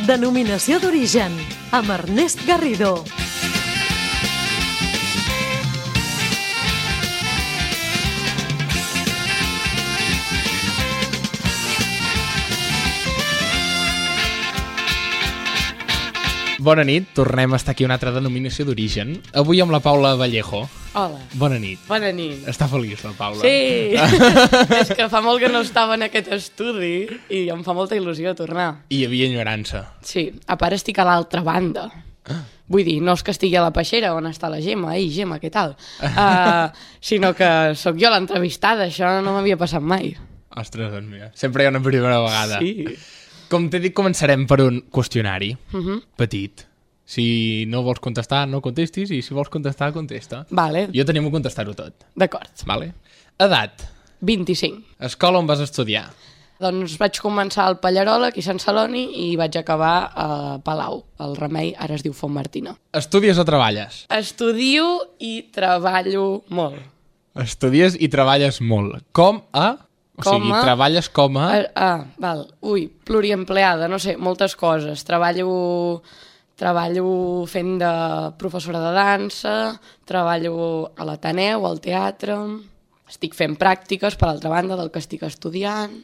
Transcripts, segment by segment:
Denominació d'origen, amb Ernest Garrido. Bona nit, tornem a estar aquí una altra denominació d'origen. Avui amb la Paula Vallejo. Hola. Bona nit. Bona nit. Està feliç la Paula. Sí, és que fa molt que no estava en aquest estudi i em fa molta il·lusió tornar. I hi havia enyorança. Sí, a part estic a l'altra banda. Vull dir, no és que estigui a la peixera on està la Gemma. Ei, Gemma, què tal? Sinó que sóc jo l'entrevistada, això no m'havia passat mai. Ostres, doncs mira, sempre hi ha una primera vegada. Sí. Com t'he dit, començarem per un qüestionari petit. Si no vols contestar, no contestis, i si vols contestar, contesta. Vale, Jo t'animo a contestar-ho tot. d'acord. Vale? Edat. 25. Escola on vas estudiar. Doncs vaig començar al Pallerola, aquí a Sant Celoni, i vaig acabar a Palau, al Remei, ara es diu Font Martina. Estudies o treballes? Estudio i treballo molt. Estudies i treballes molt. Com a... O sigui, treballes com a... Val. Ui, pluriempleada, no sé, moltes coses. Treballo fent de professora de dansa, treballo a l'Ateneu, al teatre, estic fent pràctiques, per altra banda, del que estic estudiant,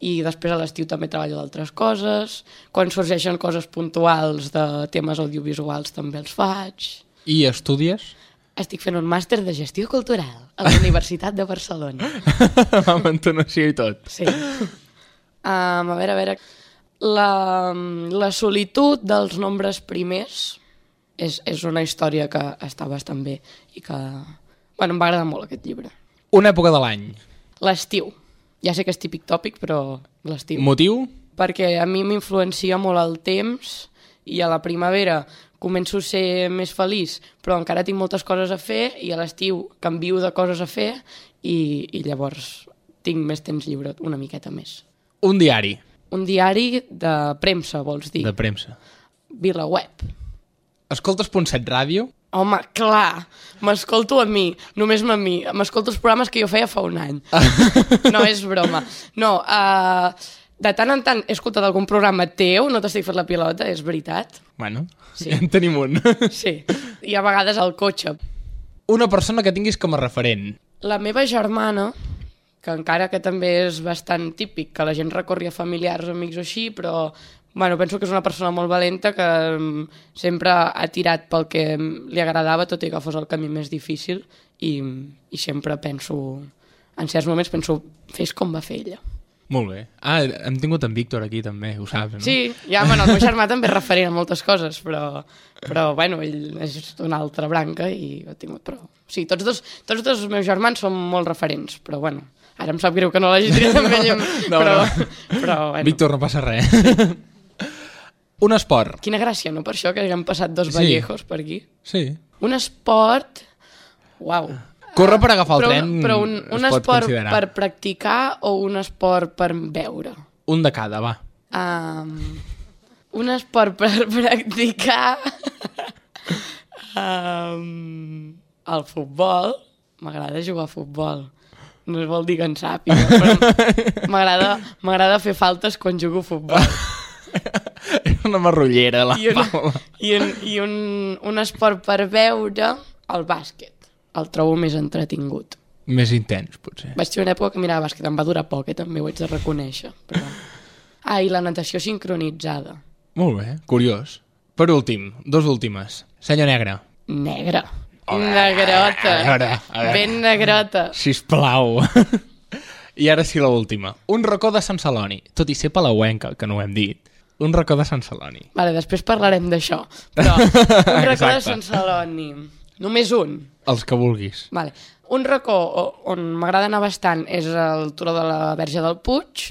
i després a l'estiu també treballo d'altres coses. Quan sorgeixen coses puntuals de temes audiovisuals també els faig. I estudies? Estic fent un màster de gestió cultural a la Universitat de Barcelona. Amb entonació i tot. Sí. A veure... La solitud dels nombres primers és una història que està bastant bé i que... Bueno, em va agradar molt aquest llibre. Una època de l'any. L'estiu. Ja sé que és típic tòpic, però l'estiu. Motiu? Perquè a mi m'influencia molt el temps i a la primavera començo a ser més feliç, però encara tinc moltes coses a fer i a l'estiu canvio de coses a fer i llavors tinc més temps lliure, una miqueta més. Un diari. Un diari de premsa, vols dir? De premsa. VilaWeb. Escoltes .7 ràdio? Home, clar, m'escolto a mi, només a mi. M'escolto els programes que jo feia fa un any. No, és broma. No, de tant en tant he escoltat algun programa teu, no t'estic fent la pilota, és veritat. Bueno, sí. Ja en tenim un. Sí, i a vegades al cotxe. Una persona que tinguis com a referent. La meva germana, que encara que també és bastant típic, que la gent recorri a familiars, amics o així, però bueno, penso que és una persona molt valenta que sempre ha tirat pel que li agradava, tot i que fos el camí més difícil, i sempre penso, en certs moments penso, fes com va fer ella. Molt bé. Hem tingut en Víctor aquí també, ho saps, no? Sí, ja, bueno, el meu germà també és referent a moltes coses, però bueno, ell és d'una altra branca i ho he tingut, però... Sí, tots dos els meus germans són molt referents, però bueno, ara em sap greu que no l'hagi triat amb ell, però bueno. Víctor, no passa res. Un esport. Quina gràcia, no? Per això que haguem passat dos Vallejos per aquí. Sí. Un esport... Uau. Córrer per agafar el tren però un es pot esport considerar. per practicar o un esport per veure? Un de cada, va. Un esport per practicar... el futbol. M'agrada jugar a futbol. No vol dir que en sàpiga, però m'agrada fer faltes quan jugo a futbol. És una marrullera, la Paula. I un esport per veure, el bàsquet. El trobo més entretingut. Més intens, potser. Vaig tenir una època que mirava bàsquet, em va durar poc, també ho haig de reconèixer. Però... i la natació sincronitzada. Molt bé, curiós. Per últim, dos últimes. Senyor negre. Negre. Negrota. A veure. Ben negrota. Sisplau. I ara sí l'última. Un racó de Sant Celoni. Tot i ser palauenca, que no ho hem dit. Un racó de Sant Celoni. Vale, després parlarem d'això. Però un racó de Sant Celoni. Només un. Els que vulguis. Vale. Un racó on m'agrada anar bastant és el turó de la Verge del Puig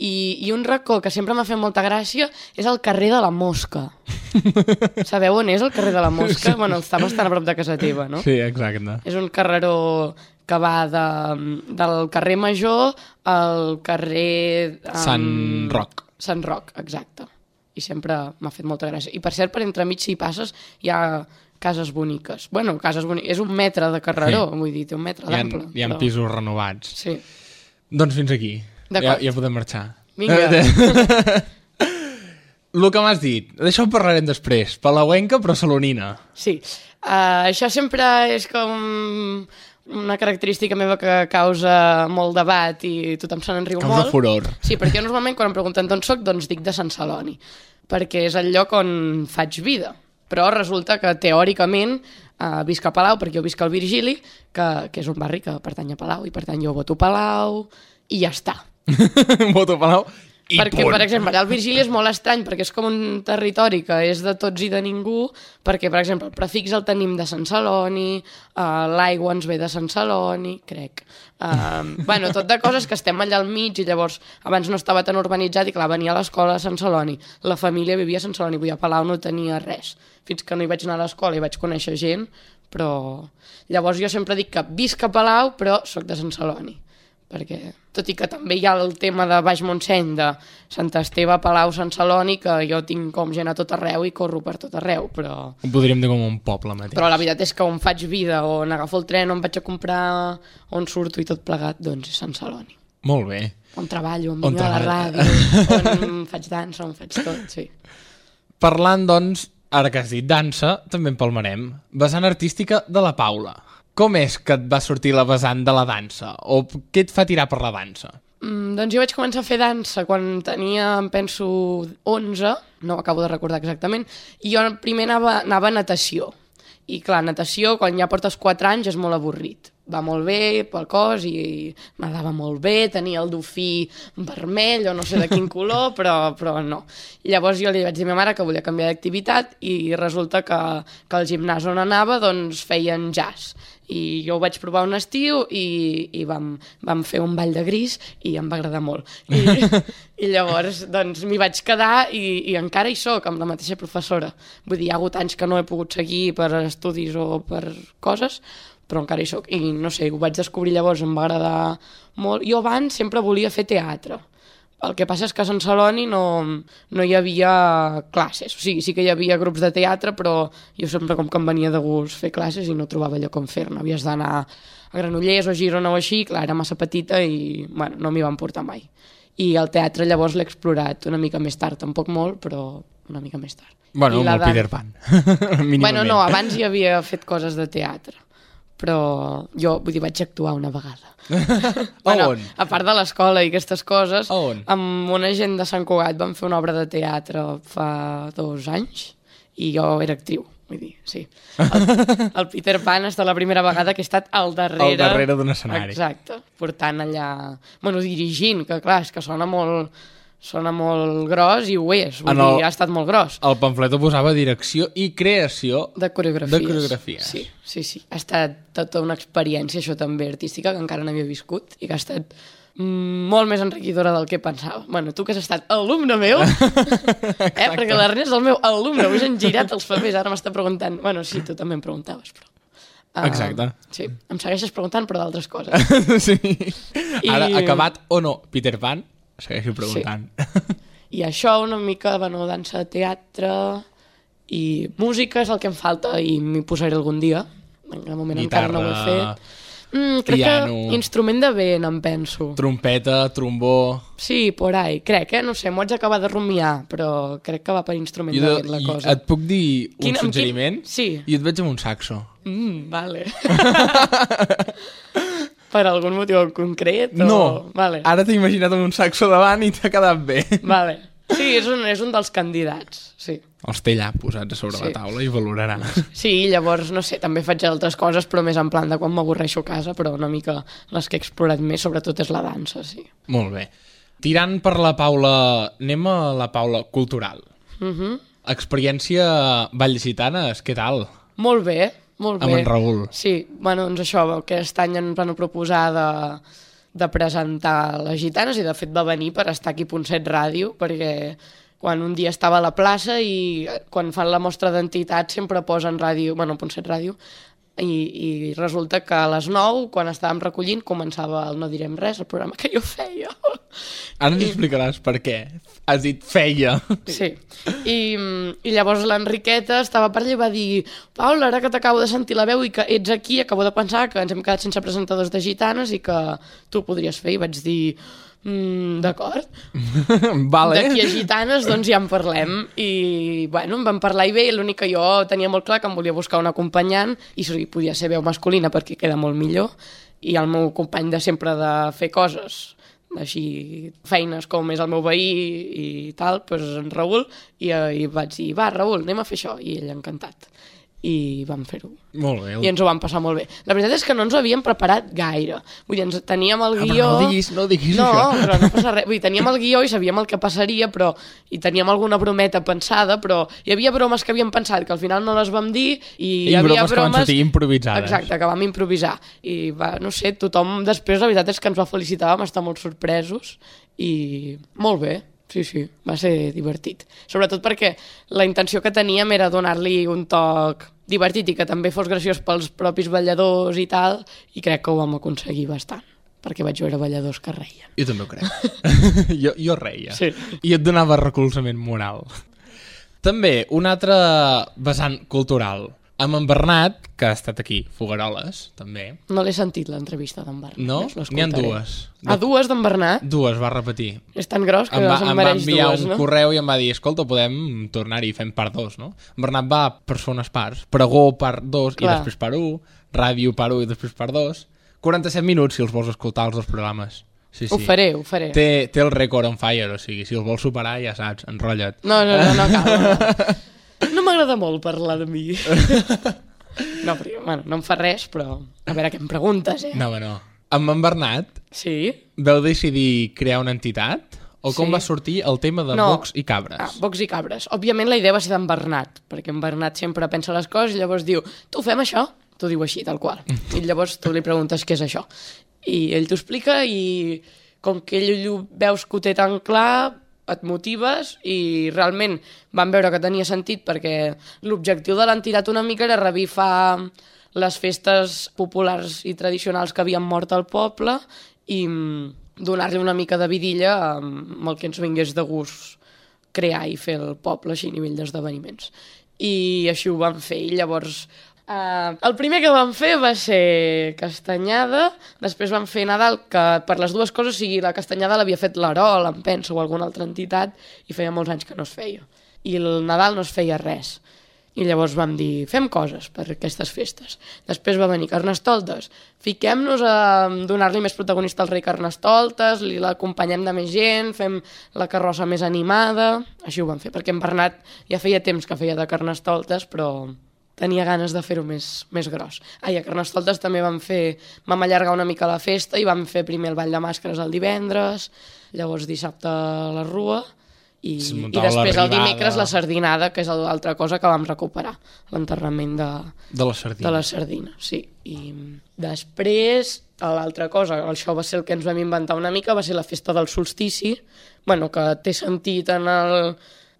i un racó que sempre m'ha fet molta gràcia és el carrer de la Mosca. Sabeu on és el carrer de la Mosca? Sí. Bueno, està bastant a prop de casa teva, no? Sí, exacte. És un carreró que va del carrer Major al carrer... Sant Roc. Sant Roc, exacte. I sempre m'ha fet molta gràcia. I per cert, per entremig, si hi passes, hi ha cases boniques. Bueno, cases boniques. És 1 metre de carreró, vull dir, té 1 metre d'ample. Hi ha pisos renovats. Sí. Doncs fins aquí. D'acord. Ja podem marxar. Vinga. el que m'has dit, d'això ho parlarem després. Palauenca, però salonina. Sí. Això sempre és com una característica meva que causa molt debat i tothom se n'enriu molt. Causa furor. Sí, perquè jo normalment quan em pregunten d'on soc, doncs dic de Sant Celoni, perquè és el lloc on faig vida. Però resulta que teòricament visc a Palau, perquè jo visc al Virgili, que és un barri que pertany a Palau, i per tant jo voto Palau, i ja està. Voto Palau i perquè, punt. per exemple, allà al Virgili és molt estrany, perquè és com un territori que és de tots i de ningú, perquè, per exemple, el prefix el tenim de Sant Celoni, l'aigua ens ve de Sant Celoni, crec. Bueno, tot de coses que estem allà al mig, i llavors abans no estava tan urbanitzat, i clar, venia a l'escola a Sant Celoni. La família vivia a Sant Celoni, vull dir, a Palau no tenia res. Fins que no hi vaig anar a l'escola i vaig conèixer gent, però... Llavors jo sempre dic que visc a Palau, però sóc de Sant Celoni. Perquè, tot i que també hi ha el tema de Baix Montseny, de Sant Esteve, Palau, Sant Celoni, que jo tinc com gent a tot arreu i corro per tot arreu, però... Ho podríem dir com un poble mateix. Però la veritat és que on faig vida, on agafo el tren, on vaig a comprar, on surto i tot plegat, doncs és Sant Celoni. Molt bé. On treballo, on vinc a la ràdio, on faig dansa, on faig tot, sí. Parlant, doncs, ara que has dit dansa, també en palmarem. Vessant artística de la Paula. Com és que et va sortir la vessant de la dansa? O què et fa tirar per la dansa? Doncs jo vaig començar a fer dansa quan tenia, em penso, 11, no ho acabo de recordar exactament, i jo primer anava a natació. I clar, natació, quan ja portes 4 anys, és molt avorrit. Va molt bé pel cos i m'agradava molt bé, tenia el dofí vermell o no sé de quin color, però no. I llavors jo li vaig dir a ma mare que volia canviar d'activitat i resulta que al gimnàs on anava doncs feien jazz. I jo ho vaig provar un estiu i vam fer un ball de gris i em va agradar molt. I llavors doncs m'hi vaig quedar i encara hi soc amb la mateixa professora. Vull dir, hi ha hagut anys que no he pogut seguir per estudis o per coses, però encara hi soc. I no sé, ho vaig descobrir llavors, em va agradar molt. Jo abans sempre volia fer teatre. El que passa és que a Sant Celoni no hi havia classes. O sigui, sí que hi havia grups de teatre, però jo sempre com que em venia de gust fer classes i no trobava allò com fer-ne. Havies d'anar a Granollers o Girona o així, clar, era massa petita i bueno, no m'hi van portar mai. I el teatre llavors l'he explorat una mica més tard, tampoc molt, però una mica més tard. Bueno, molt Peter Pan. Bueno, no, abans hi havia fet coses de teatre. Però jo, vull dir, vaig actuar una vegada. Bueno, a part de l'escola i aquestes coses, on? Amb una gent de Sant Cugat vam fer una obra de teatre fa 2 anys i jo era actriu, vull dir, sí. El Peter Pan és la primera vegada que he estat al darrere d'un escenari. Exacte, portant allà... Bueno, dirigint, que clar, és que sona molt gros i ho és, vull dir, ha estat molt gros. El pamflet posava direcció i creació de coreografies. Sí. Ha estat tota una experiència, això també, artística, que encara n'havia viscut i que ha estat molt més enriquidora del que pensava. Bueno, tu que has estat alumne meu, perquè l'Ernest és el meu alumne, avui s'han girat els papers, ara m'està preguntant... Bueno, sí, tu també em preguntaves, però... Exacte. Sí, em segueixes preguntant, però d'altres coses. Sí. Ara, acabat o no Peter Pan, segueixo preguntant. Sí. I això una mica, bueno, dansa, teatre i música és el que em falta i m'hi posaré algun dia. En el moment guitarra, encara no ho he fet. Crec piano, que instrument de vent, em penso. Trompeta, trombó... Sí, por ahí, crec, no sé, m'ho haig d'acabar de rumiar, però crec que va per instrument de vent la cosa. Et puc dir un suggeriment? Sí. I et veig amb un saxo. Vale. Per algun motiu en concret? No, vale. Ara t'he imaginat amb un saxo davant i t'ha quedat bé. Vale. Sí, és un dels candidats, sí. Els té allà posats a sobre la taula i valoraràs. Sí, llavors, no sé, també faig altres coses, però més en plan de quan m'avorreixo a casa, però una mica les que he explorat més, sobretot és la dansa, sí. Molt bé. Tirant per la Paula, anem a la Paula cultural. Experiència Vallgitanes, què tal? Molt bé, molt bé. Amb en Raül. Sí, bueno, doncs això, aquest any ens van proposar de presentar les gitanes i de fet va venir per estar aquí a Punt 7 Ràdio, perquè quan un dia estava a la plaça i quan fan la mostra d'entitat sempre posen ràdio, bueno, Punt 7 Ràdio, i resulta que a les 9, quan estàvem recollint, començava el No direm res, el programa que jo feia. Ara ens explicaràs per què. Has dit feia. Sí. I llavors l'Enriqueta estava per allà i va dir: Paula, ara que t'acabo de sentir la veu i que ets aquí, acabo de pensar que ens hem quedat sense presentadors de gitanes i que tu ho podries fer. I vaig dir: D'acord. Vale. D'aquí a Gitanes, doncs ja en parlem. I, bueno, em van parlar i bé, l'únic que jo tenia molt clar que em volia buscar un acompanyant i podia ser veu masculina perquè queda molt millor. I el meu company de sempre de fer coses, així feines com és el meu veí i tal, doncs en Raül, i vaig dir, va, Raül, anem a fer això. I ell encantat. I vam fer-ho. Molt bé. I ens ho vam passar molt bé. La veritat és que no ens ho havíem preparat gaire. Vull dir, teníem el guió... No diguis no, això. però no passa res. Vull dir, teníem el guió i sabíem el que passaria, i teníem alguna brometa pensada, però hi havia bromes que havíem pensat que al final no les vam dir i hi havia bromes que van sortir improvisades. Exacte, que vam improvisar. I va, no sé, tothom després la veritat és que ens va felicitar, vam estar molt sorpresos i molt bé. Sí, va ser divertit. Sobretot perquè la intenció que teníem era donar-li un toc divertit i que també fos graciós pels propis balladors i tal, i crec que ho vam aconseguir bastant, perquè vaig veure balladors que reien. Jo també ho crec. jo reia. Sí. I et donava recolzament moral. També, un altre vessant cultural. Amb en Bernat, que ha estat aquí, Fogueroles, també. No l'he sentit, l'entrevista d'en Bernat. No? N'hi ha dues. Dues d'en Bernat? Dues, va repetir. És tan gros que se'n mereix dues, no? Em va enviar un correu i em va dir, escolta, podem tornar-hi i fem part 2, no? En Bernat va per fer unes parts. Pregó part 2 i després part 1, ràdio part 1 i després part 2. 47 minuts si els vols escoltar els dos programes. Sí. Ho faré. Té el record on fire, o sigui, si els vols superar ja saps, enrotlla't. No cal. No m'agrada molt parlar de mi. No, perquè, bueno, no em fa res, però a veure què em preguntes, No. Amb en Bernat vau decidir crear una entitat? O com va sortir el tema de bocs i cabres? Bocs i cabres. Òbviament la idea va ser d'en Bernat, perquè en Bernat sempre pensa les coses i llavors diu, tu fem això? T'ho diu així, tal qual. I llavors tu li preguntes què és això. I ell t'ho explica i com que ell ho veus que ho té tan clar, et motives i realment vam veure que tenia sentit perquè l'objectiu de l'entitat una mica era revifar les festes populars i tradicionals que havien mort al poble i donar-li una mica de vidilla amb el que ens vingués de gust crear i fer el poble així a nivell d'esdeveniments. I així ho vam fer i llavors... el primer que vam fer va ser Castanyada, després vam fer Nadal, que per les dues coses, o sigui, la Castanyada l'havia fet l'Arol, em penso, o alguna altra entitat, i feia molts anys que no es feia. I el Nadal no es feia res. I llavors vam dir, fem coses per aquestes festes. Després va venir Carnestoltes. Fiquem-nos a donar-li més protagonista al rei Carnestoltes, l'acompanyem de més gent, fem la carrossa més animada... Així ho vam fer, perquè en Bernat ja feia temps que feia de Carnestoltes, però... tenia ganes de fer-ho més gros. A Carnestoltes també vam allargar una mica la festa i vam fer primer el ball de màscares el divendres, llavors dissabte la rua i després el dimecres la sardinada, que és l'altra cosa que vam recuperar, l'enterrament de la sardina. Sí. I després l'altra cosa, això va ser el que ens vam inventar una mica, va ser la festa del solstici, que té sentit en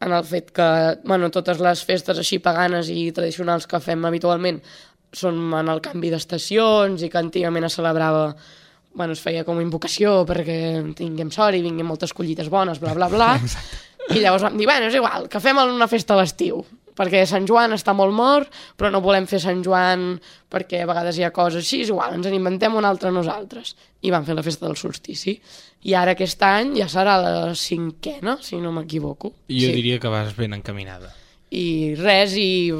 el fet que totes les festes així paganes i tradicionals que fem habitualment són en el canvi d'estacions i que antigament es celebrava, es feia com invocació perquè tinguem sort i vinguin moltes collites bones, bla, bla, bla. I llavors vam dir, és igual, que fem una festa a l'estiu, perquè Sant Joan està molt mort, però no volem fer Sant Joan perquè a vegades hi ha coses així, és igual, ens en inventem una altra nosaltres. I vam fer la festa del solstici. I ara aquest any ja serà la 5ª, si no m'equivoco. Jo diria que vas ben encaminada. I res, i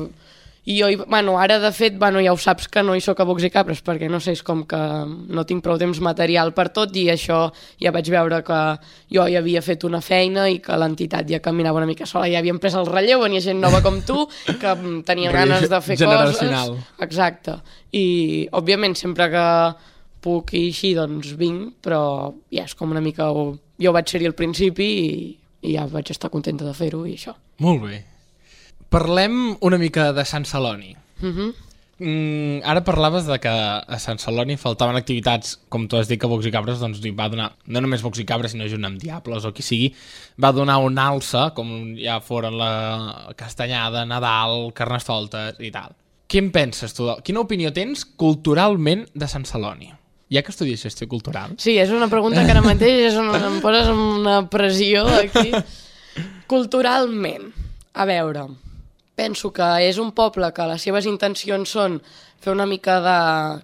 jo, ara de fet, ja ho saps que no hi soc a bocs i cabres, perquè no sé, és com que no tinc prou temps material per tot, i això ja vaig veure que jo ja havia fet una feina i que l'entitat ja caminava una mica sola, ja havíem pres el relleu, venia gent nova com tu, que tenia ganes de fer generacional. Coses. Exacte. I, òbviament, sempre que puc i així, doncs vinc, però ja és com una mica... Jo vaig ser-hi al principi i ja vaig estar contenta de fer-ho i això. Molt bé. Parlem una mica de Sant Celoni. Ara parlaves de que a Sant Celoni faltaven activitats, com tu has dit que Bocs i Cabres doncs, va donar, no només Bocs i Cabres, sinó junt amb Diables o qui sigui, va donar un alça, com ja foren la Castanyada, Nadal, Carnestoltes i tal. Què en penses tu? Quina opinió tens culturalment de Sant Celoni? Ja que estudies gestió cultural? Sí, és una pregunta que ara mateix em poses una pressió aquí. Culturalment, a veure... Penso que és un poble que les seves intencions són fer una mica de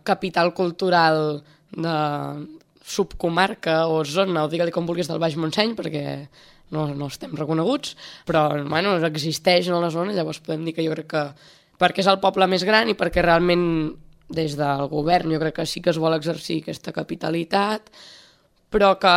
capital cultural de subcomarca o zona, o digue-li com vulguis, del Baix Montseny, perquè no estem reconeguts, però bueno, existeix en la zona, llavors podem dir que jo crec que perquè és el poble més gran i perquè realment des del govern jo crec que sí que es vol exercir aquesta capitalitat, però que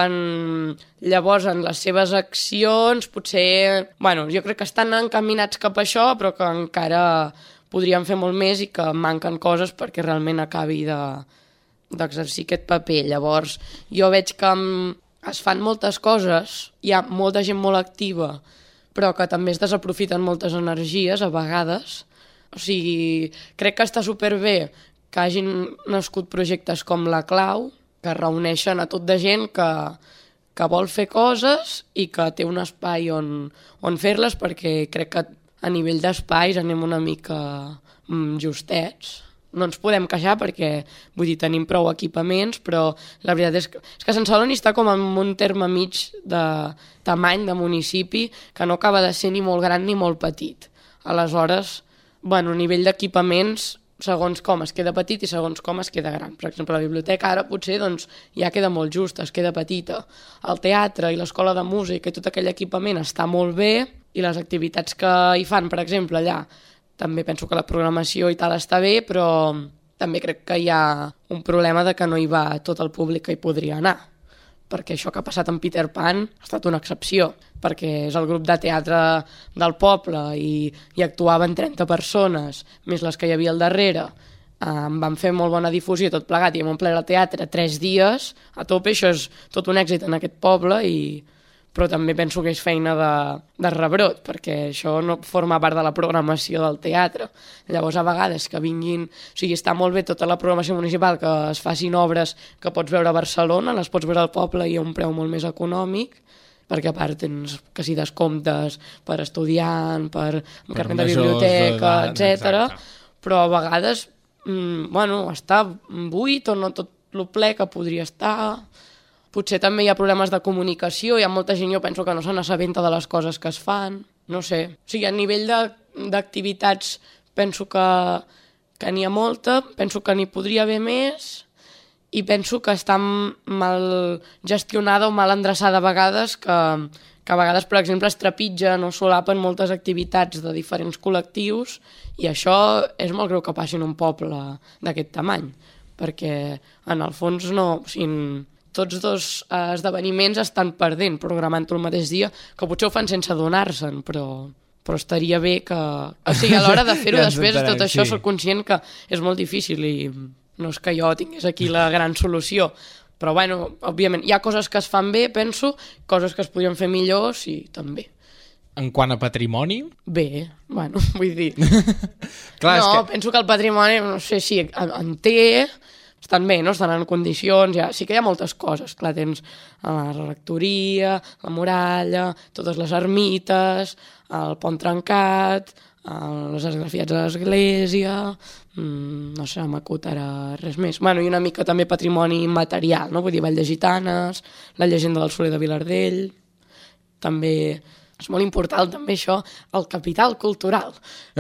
llavors en les seves accions potser, bueno, jo crec que estan encaminats cap a això, però que encara podrien fer molt més i que manquen coses perquè realment acabi d'exercir aquest paper. Llavors, jo veig que es fan moltes coses, hi ha molta gent molt activa, però que també es desaprofiten moltes energies a vegades. O sigui, crec que està superbé que hagin nascut projectes com La Clau, que reuneixen a tot de gent que vol fer coses i que té un espai on fer-les, perquè crec que a nivell d'espais anem una mica justets. No ens podem queixar perquè, vull dir, tenim prou equipaments, però la veritat és que Sant Celoni està com en un terme mig de tamany de municipi que no acaba de ser ni molt gran ni molt petit. Aleshores, bueno, a nivell d'equipaments, segons com es queda petit i segons com es queda gran. Per exemple, la biblioteca ara potser doncs, ja queda molt justa, es queda petita. El teatre i l'escola de música i tot aquell equipament està molt bé i les activitats que hi fan, per exemple, allà, també penso que la programació i tal està bé, però també crec que hi ha un problema de que no hi va tot el públic que hi podria anar. Perquè això que ha passat amb Peter Pan ha estat una excepció, perquè és el grup de teatre del poble i actuaven 30 persones, més les que hi havia al darrere. Van fer molt bona difusió tot plegat i hem omplert el teatre 3 dies a tope, això és tot un èxit en aquest poble, però també penso que és feina de rebrot, perquè això no forma part de la programació del teatre. Llavors, a vegades que vinguin... O sigui, està molt bé tota la programació municipal, que es facin obres que pots veure a Barcelona, les pots veure al poble i a un preu molt més econòmic, perquè a part tens que si descomptes per estudiant, per carnet de biblioteca, etc. Però a vegades, bueno, està buit o no tot el ple que podria estar... Potser també hi ha problemes de comunicació, hi ha molta gent, jo penso que no se n'assabenta de les coses que es fan, no sé. O sigui, a nivell d'activitats penso que n'hi ha molta, penso que n'hi podria haver més i penso que està mal gestionada o mal endreçada a vegades, que a vegades, per exemple, es trepitgen o solapen moltes activitats de diferents col·lectius i això és molt greu que passi en un poble d'aquest tamany, perquè en el fons no... O sigui, tots dos esdeveniments estan perdent, programant-ho el mateix dia, que potser ho fan sense adonar-se'n, però estaria bé que... O sigui, a l'hora de fer-ho ja després, tot això, soc conscient que és molt difícil i no és que jo tingués aquí la gran solució, però, bueno, òbviament, hi ha coses que es fan bé, penso, coses que es podrien fer millor, sí, també. En quant a patrimoni? Bé, bueno, vull dir... Clar, no, penso que el patrimoni, no sé si en té... Estan bé, no? Estan en condicions, ja. Sí que hi ha moltes coses, clar, tens la rectoria, la muralla, totes les ermites, el pont trencat, les esgrafiats de l'església, no sé, m'acut ara res més. Bueno, i una mica també patrimoni immaterial, no? Vull dir, Vall de Gitanes, la llegenda del Soler de Vilardell, també... És molt important també això, el capital cultural.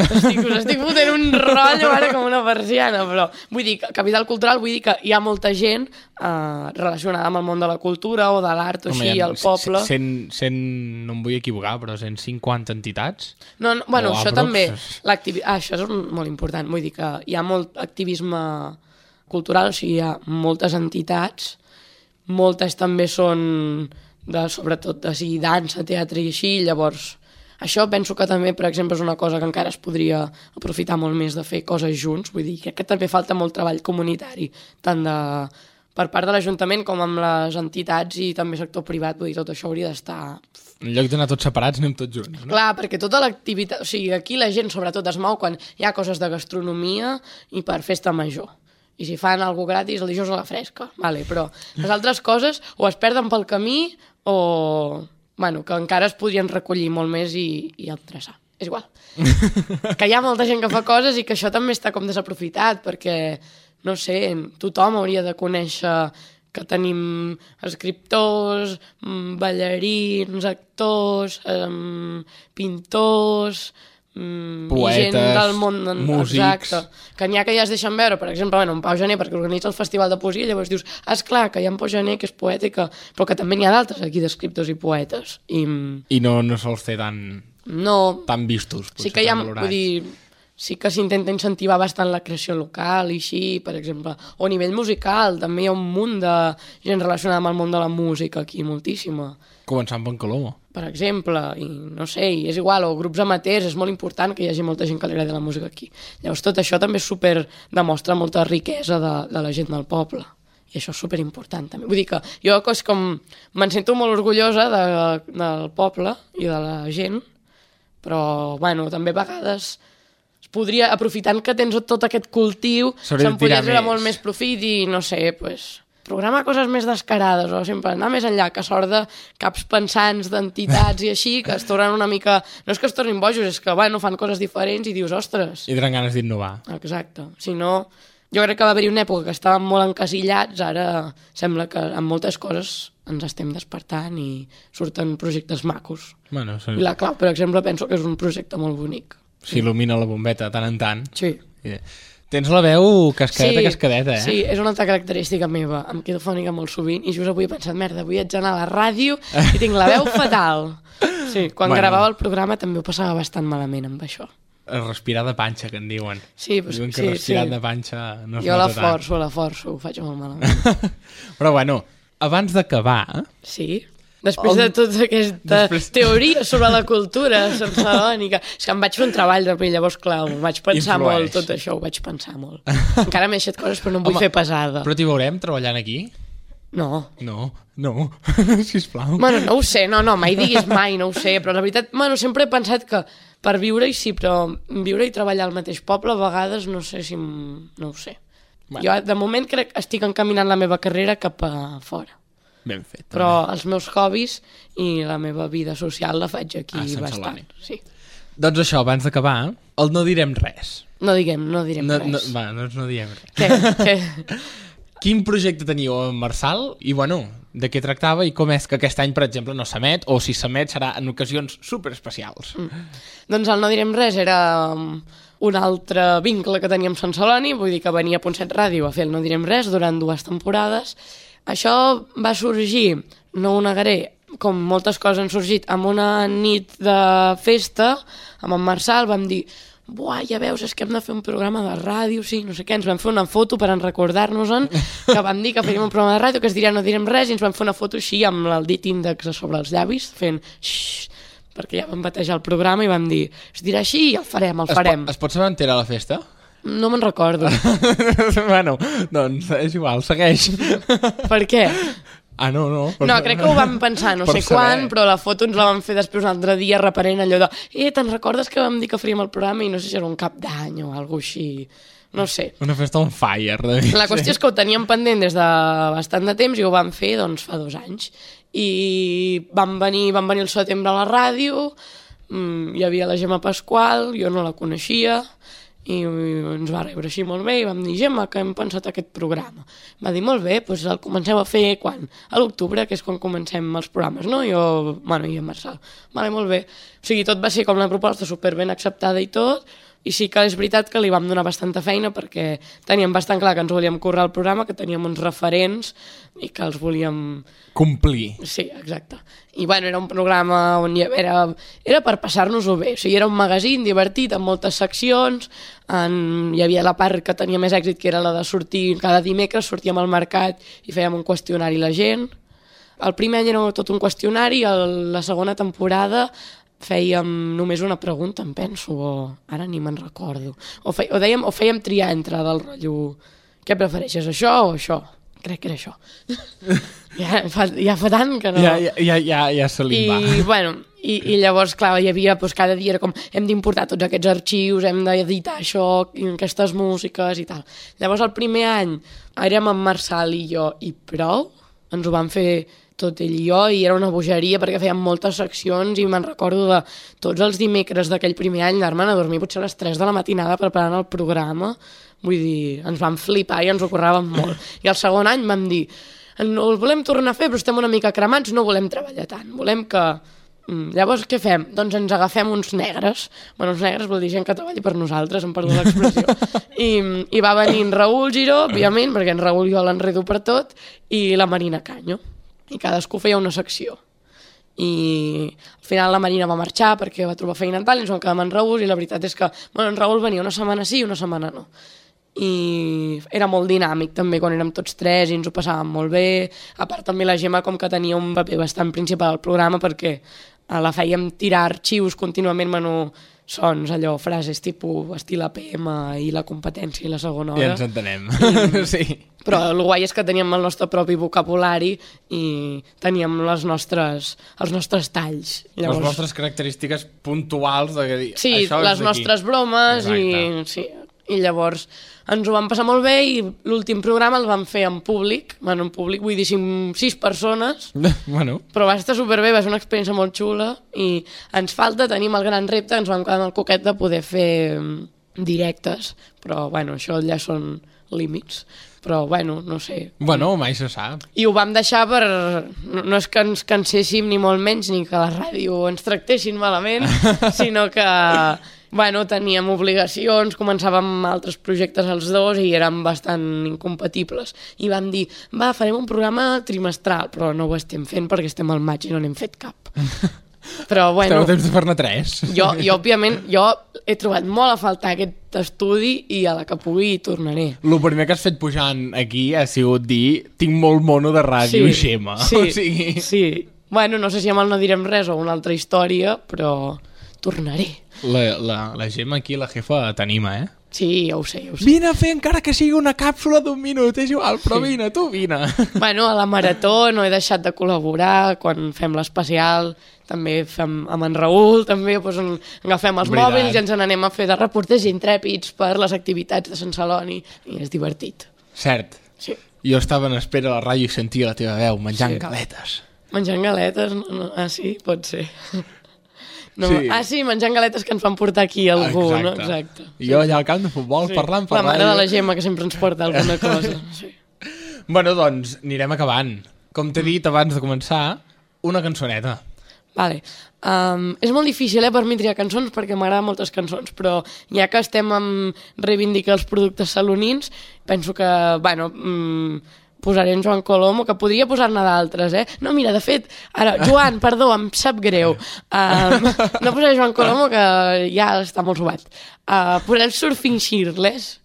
Us estic fotent un rotllo ara com una persiana, però vull dir, capital cultural vull dir que hi ha molta gent relacionada amb el món de la cultura o de l'art o així, al poble. No em vull equivocar, però 150 entitats? No, bueno, això també, això és molt important, vull dir que hi ha molt activisme cultural, o sigui, hi ha moltes entitats, moltes també són... sobretot de sigui dansa, teatre i així, llavors això penso que també, per exemple, és una cosa que encara es podria aprofitar molt més de fer coses junts, vull dir, crec que també falta molt treball comunitari, tant per part de l'Ajuntament com amb les entitats i també sector privat, vull dir, tot això hauria d'estar... En lloc d'anar tots separats, anem tots junts, no? Clar, perquè tota l'activitat, o sigui, aquí la gent sobretot es mou quan hi ha coses de gastronomia i per festa major. I si fan alguna gratis, el dijous a la fresca, vale, però les altres coses o es perden pel camí o, bueno, que encara es podrien recollir molt més i endreçar. És igual. Que hi ha molta gent que fa coses i que això també està com desaprofitat, perquè, no sé, tothom hauria de conèixer que tenim escriptors, ballarins, actors, pintors, Poetes, i gent del món, músics. exacte, que n'hi ha que ja es deixen veure, per exemple, en Pau Gener, perquè organitza el Festival de Poesia, llavors dius, esclar, que hi ha en Pau Gener, que és poeta, però que també n'hi ha d'altres aquí d'escriptors i poetes. I no sols té tan vistos, potser, sí que hi ha, tan valorats. vull dir, sí que s'intenta incentivar bastant la creació local i així, per exemple, o a nivell musical, també hi ha un munt de gent relacionada amb el món de la música aquí, moltíssima. Començant per Coloma. Per exemple, i no sé, i és igual, o grups amateurs, és molt important que hi hagi molta gent que li agradi la música aquí. Llavors tot això també demostra molta riquesa de la gent del poble. I això és superimportant també. Vull dir que jo és com me'n sento molt orgullosa del poble i de la gent, però bueno, també a vegades es podria, aprofitant que tens tot aquest cultiu, se'n podria treure molt més profit i no sé, pues, programar coses més descarades o sempre anar més enllà, que sort de caps pensants d'entitats i així, que es tornen una mica... No és que es tornin bojos, és que bueno, fan coses diferents i dius, ostres... I tenen ganes d'innovar. Exacte. Si no, jo crec que va haver-hi una època que estàvem molt encasillats, ara sembla que amb moltes coses ens estem despertant i surten projectes macos. Bueno, sí. I la Clau, per exemple, penso que és un projecte molt bonic. S'il·lumina la bombeta tant en tant. Sí. Tens la veu cascadeta, eh? Sí, és una altra característica meva. Em quedo fònica molt sovint i just avui he pensat, merda, avui haig d'anar a la ràdio i tinc la veu fatal. Sí, quan gravava el programa també ho passava bastant malament amb això. Respirar de panxa, que en diuen. Sí, pues, diuen que respirar de panxa no es jo nota tant. Jo la forço, ho faig molt malament. Però bueno, abans d'acabar... Sí? Després de tota aquesta teoria sobre la cultura salònica, és que em vaig fer un treball de llavors, clar, ho vaig pensar molt, tot això, ho vaig pensar molt. Encara m'he deixat coses, però no em vull fer pesada. Però t'hi veurem treballant aquí? No. No, sisplau. Bueno, no ho sé, no, mai diguis mai, no ho sé, però la veritat, bueno, sempre he pensat que per viure-hi sí, però viure i treballar al mateix poble a vegades no sé si... no ho sé. Bueno. Jo, de moment, crec que estic encaminant la meva carrera cap a fora. Ben fet. Però els meus hobbies i la meva vida social la faig aquí bastant. Sí. Doncs això, abans d'acabar, el no direm res. No direm res. Doncs no diem res. Què? Quin projecte teníeu amb Marçal i, bueno, de què tractava i com és que aquest any, per exemple, no s'emet o si s'emet serà en ocasions superespecials? Doncs el no direm res era un altre vincle que teníem amb Sant Celoni, vull dir que venia a Ponset Ràdio a fer el no direm res durant 2 temporades. Això va sorgir, no ho negaré, com moltes coses han sorgit, amb una nit de festa, amb en Marçal, vam dir, buah, ja veus, és que hem de fer un programa de ràdio, sí, no sé què, ens vam fer una foto per recordar-nos-en, que vam dir que faríem un programa de ràdio, que es diria no direm res, i ens vam fer una foto així, amb el dit índex a sobre els llavis, fent xxxt, perquè ja vam batejar el programa i vam dir, es dirà així i el farem. Es pot saber on era la festa? No me'n recordo. Bueno, doncs és igual, segueix. Per què? Ah, no. No, crec que ho vam pensar no sé quan, però la foto ens la vam fer després un altre dia reparent allò de te'n recordes que vam dir que faríem el programa i no sé si era un cap d'any o alguna així, no sé. Una festa on fire. La qüestió és que ho teníem pendent des de bastant de temps i ho vam fer doncs fa 2 anys. I van venir el setembre a la ràdio, hi havia la Gemma Pasqual, jo no la coneixia, i ens va rebre així molt bé i vam dir, Gemma, que hem pensat aquest programa. Va dir, molt bé, doncs el comencem a fer quan? A l'octubre, que és quan comencem els programes, no? I en Marçal. Vale, molt bé. O sigui, tot va ser com una proposta superben acceptada i tot, i sí que és veritat que li vam donar bastanta feina perquè teníem bastant clar que ens volíem currar el programa, que teníem uns referents i que els volíem... complir. Sí, exacte. I bueno, era un programa on era per passar-nos-ho bé. O sigui, era un magazín divertit amb moltes seccions, hi havia la part que tenia més èxit, que era la de sortir cada dimecres, sortíem al mercat i fèiem un qüestionari a la gent. El primer any era tot un qüestionari, la segona temporada fèiem només una pregunta, em penso, o ara ni me'n recordo. O fèiem triar entre del rotllo, què prefereixes, això o això? Crec que era això. Ja fa tant que no... Ja se li va. I, bueno, i llavors, clar, hi havia, doncs, cada dia era com, hem d'importar tots aquests arxius, hem d'editar això, aquestes músiques i tal. Llavors, el primer any érem en Marçal i jo i prou, ens ho vam fer tot ell i jo, i era una bogeria perquè fèiem moltes seccions i me'n recordo de tots els dimecres d'aquell primer any anar-me'n a dormir potser a les 3 de la matinada preparant el programa. Vull dir, ens vam flipar i ens ho curràvem molt. I el segon any vam dir, no el volem tornar a fer, però estem una mica cremats, no volem treballar tant, volem que Llavors, què fem? Doncs ens agafem uns negres. Bueno, uns negres vol dir gent que treballi per nosaltres, em perdo l'expressió. I va venir en Raül Giró, òbviament, perquè en Raül jo l'enredo per tot, i la Marina Canyo. I cadascú feia una secció. I al final la Marina va marxar perquè va trobar feina en tal, i ens vam quedar amb en Raül, i la veritat és que en Raül venia una setmana sí i una setmana no. I era molt dinàmic també quan érem tots tres i ens ho passàvem molt bé. A part també la Gemma com que tenia un paper bastant principal al programa perquè la fèiem tirar arxius contínuament, sons, allò, frases tipus estil APM i la competència i la segona hora. Ja ens entenem, sí. Però el guai és que teníem el nostre propi vocabulari i teníem els nostres talls. Llavors... Les nostres característiques puntuals de dir, sí, això les nostres bromes. I llavors ens ho vam passar molt bé i l'últim programa el vam fer en públic. Bueno, en públic vull dir 6 persones, però va estar superbé, va ser una experiència molt xula i ens falta, tenim el gran repte, ens vam quedar amb el coquet de poder fer directes, però bueno, això ja són límits. Però bueno, no sé. Bueno, mai se sap. I ho vam deixar per... No és que ens canséssim ni molt menys, ni que la ràdio ens tractessin malament, sinó que... Bueno, teníem obligacions, començàvem altres projectes els dos i érem bastant incompatibles. I vam dir, farem un programa trimestral, però no ho estem fent perquè estem al maig i no n'hem fet cap. Però bueno... Esteu a temps de fer-ne 3. Jo, òbviament, he trobat molt a faltar aquest estudi i a la que pugui hi tornaré. El primer que has fet pujant aquí ha sigut dir tinc molt mono de ràdio i Xema. Sí. Bueno, no sé si amb el no direm res o una altra història, però tornaré. La Gemma aquí, la jefa, t'anima, eh? Sí, ja ho sé. Vine a fer encara que sigui una càpsula d'1 minut, és igual, però vine, tu vine. Bueno, a la Marató no he deixat de col·laborar, quan fem l'especial també fem amb en Raül, també agafem els mòbils i ens n'anem a fer de reporters intrèpids per les activitats de Sant Celoni i és divertit. Cert. Sí. Jo estava en espera a la ràdio i sentia la teva veu menjant galetes. Menjant galetes? No. Ah, sí? Pot ser. No. Sí. Ah, sí, menjant galetes que ens van portar aquí algú, no? Exacte. I jo allà al camp de futbol parlant per la mare de la Gemma que sempre ens porta alguna cosa. Sí. Bueno, doncs, anirem acabant. Com t'he dit abans de començar, una cançoneta. Vale. És molt difícil per mi triar cançons perquè m'agraden moltes cançons, però ja que estem amb reivindicar els productes salonins, penso que, posaré en Joan Colomo, que podria posar-ne d'altres, No, mira, de fet, ara, Joan, perdó, em sap greu. No posaré Joan Colomo, que ja està molt sobat. Posaré el Surfing Shirtless,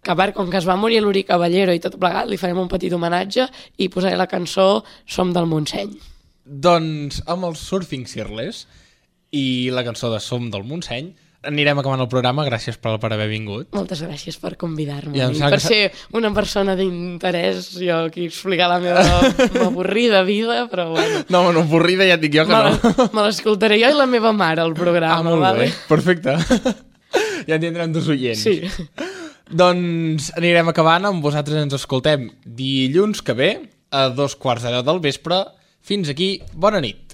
que a part, com que es va morir l'Uri Caballero i tot plegat, li farem un petit homenatge i posaré la cançó Som del Montseny. Doncs amb el Surfing Shirtless i la cançó de Som del Montseny anirem acabant el programa. Gràcies per haver vingut. Moltes gràcies per convidar-me i per ser una persona d'interès. Jo aquí explicar la meva avorrida vida, però bueno. No, avorrida ja et dic jo que no. Me l'escoltaré jo i la meva mare, el programa. Molt bé, perfecte. Ja en tindrem 2 oients. Sí. Doncs anirem acabant. Amb vosaltres ens escoltem dilluns que ve a 2:15 del vespre. Fins aquí, bona nit.